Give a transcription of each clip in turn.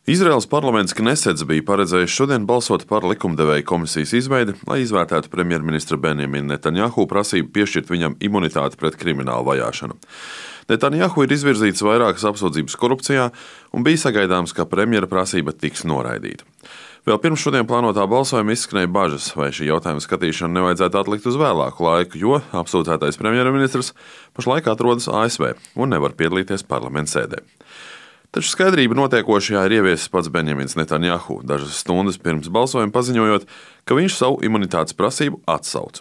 Izraēlas parlaments Knesets bija paredzējis šodien balsot par likumdevēja komisijas izveidi, lai izvērtētu premjerministra Benjamina Netanjahu prasību piešķirt viņam imunitāti pret kriminālu vajāšanu. Netanjahu ir izvirzīts vairākas apsūdzības korupcijā un bija sagaidāms, ka premjera prasība tiks noraidīta. Vēl pirms šodien plānotā balsojuma izskanēja bažas, vai šī jautājuma skatīšanu nevajadzētu atlikt uz vēlāku laiku, jo apsūdzētais premjerministrs pašlaik atrodas ASV un nevar piedalīties parlamenta sēdē. Taču skaidrība notiekošajā ir ieviesis pats Benjamins Netanjahu, dažas stundas pirms balsojuma paziņojot, ka viņš savu imunitātes prasību atsauc.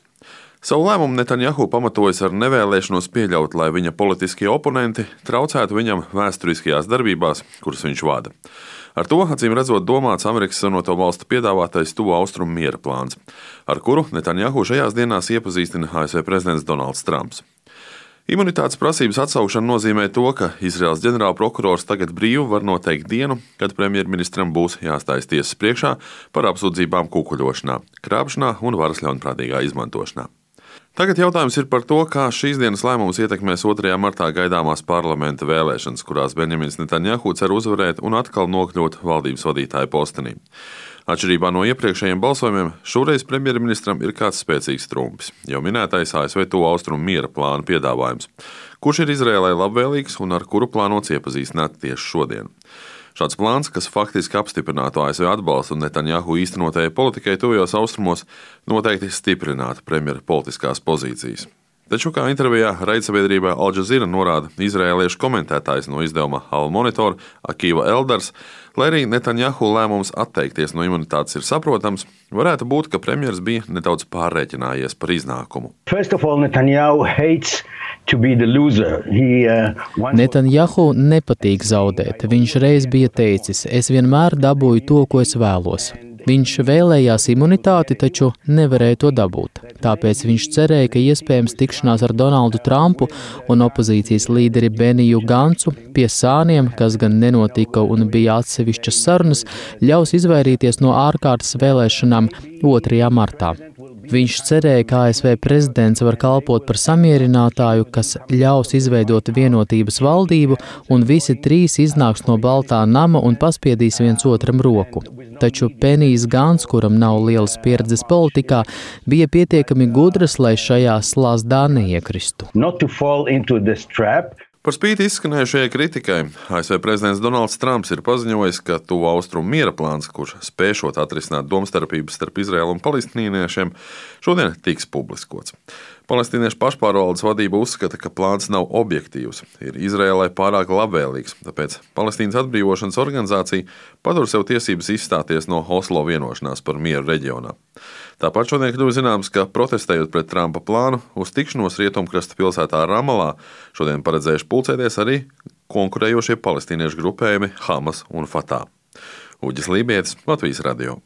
Savu lēmumu Netanjahu pamatojas ar nevēlēšanos pieļaut, lai viņa politiskie oponenti traucētu viņam vēsturiskajās darbībās, kuras viņš vada. Ar to, acīm redzot, domāts Amerikas Savienoto Valstu piedāvātais Tuvo Austrumu miera plāns, ar kuru Netanjahu šajās dienās iepazīstina ASV prezidents Donalds Trumps. Imunitātes prasības atsaukšana nozīmē to, ka Izraēlas ģenerālprokurors tagad brīvi var noteikt dienu, kad premjerministram būs jāstājas tiesas priekšā par apsūdzībām kukuļošanā, krāpšanā un varas ļaunprātīgā izmantošanā. Tagad jautājums ir par to, kā šīs dienas lēmums ietekmēs 2. martā gaidāmās parlamenta vēlēšanas, kurās Benjamins Netanjahu cer uzvarēt un atkal nokļūt valdības vadītāja postenī. Atšķirībā no iepriekšējiem balsojumiem, šoreiz premjerministram ir kāds spēcīgs trumpis, jau minētais ASV Tuvo Austrumu miera plāna piedāvājums, kurš ir Izraēlai labvēlīgs un ar kuru plānots iepazīstināt tieši šodien. Šāds plāns, kas faktiski apstiprinātu ASV atbalstu Netanjahu īstenotajai politikai tuvajos austrumos, noteikti stiprinātu premjera politiskās pozīcijas. Taču, kā intervijā raidsabiedrībā Al Jazeera norāda izraēliešu komentētājs no izdevuma Al Monitor Akiva Eldars, lai arī Netanjahu lēmums atteikties no imunitātes ir saprotams, varētu būt, ka premjers bija nedaudz pārreķinājies par iznākumu. Netanjahu nepatīk zaudēt. Viņš reiz bija teicis, es vienmēr dabūju to, ko es vēlos. Viņš vēlējās imunitāti, taču nevarēja to dabūt. Tāpēc viņš cerēja, ka iespējams tikšanās ar Donaldu Trumpu un opozīcijas līderi Beniju Gancu pie sāniem, kas gan nenotika un bija atsevišķas sarunas, ļaus izvairīties no ārkārtas vēlēšanām 2. martā. Viņš cerēja, ka ASV prezidents var kalpot par samierinātāju, kas ļaus izveidot vienotības valdību, un visi trīs iznāks no Baltā nama un paspiedīs viens otram roku. Taču Benijs Gants, kuram nav lielas pieredzes politikā, bija pietiekami gudrs, lai šajā slazdā neiekristu. Par spīti izskanējušajai kritikai, ASV prezidents Donalds Trumps ir paziņojis, ka Tuvo Austrumu miera plāns, kurš spēšot atrisināt domstarpības starp Izraēlu un palestīniešiem, šodien tiks publiskots. Palestīniešu pašpārvaldes vadība uzskata, ka plāns nav objektīvs, ir Izraēlai pārāk labvēlīgs, tāpēc Palestīnas atbrīvošanas organizācija patur sev tiesības izstāties no Oslo vienošanās par mieru reģionā. Tāpat šodien kļuva zināms, ka protestējot pret Trumpa plānu uz tikšanos Rietumkrasta pilsētā Ramalā, šodien paredzējuši pulcēties arī konkurējošie palestīniešu grupējumi Hamas un Fatah. Uģis Lībietis, Latvijas radio.